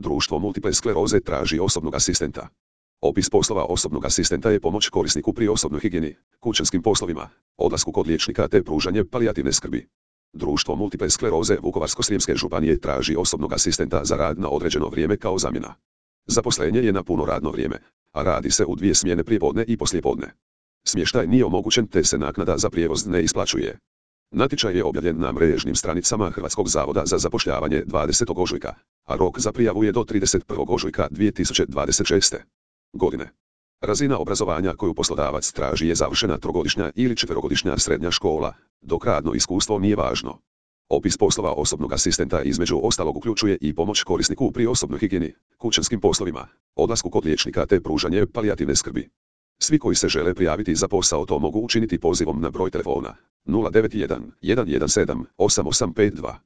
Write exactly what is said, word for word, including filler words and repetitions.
Društvo multiple skleroze traži osobnog asistenta. Opis poslova osobnog asistenta je pomoć korisniku pri osobnoj higijeni, kućanskim poslovima, odlasku kod liječnika te pružanje palijativne skrbi. Društvo multiple skleroze Vukovarsko-srijemske županije traži osobnog asistenta za rad na određeno vrijeme kao zamjena. Zaposlenje je na puno radno vrijeme, a radi se u dvije smjene prijepodne i poslijepodne. Smještaj nije omogućen te se naknada za prijevoz ne isplaćuje. Natječaj je objavljen na mrežnim stranicama Hrvatskog zavoda za zapošljavanje dvadesetog ožujka, a rok za prijavu je do trideset prvog ožujka dvije tisuće dvadeset šeste. godine. Razina obrazovanja koju poslodavac traži je završena trogodišnja ili četverogodišnja srednja škola, dok radno iskustvo nije važno. Opis poslova osobnog asistenta između ostalog uključuje i pomoć korisniku pri osobnoj higijeni, kućanskim poslovima, odlasku kod liječnika te pružanje palijativne skrbi. Svi koji se žele prijaviti za posao to mogu učiniti pozivom na broj telefona nula devet jedan, jedan jedan sedam, osam osam pet dva.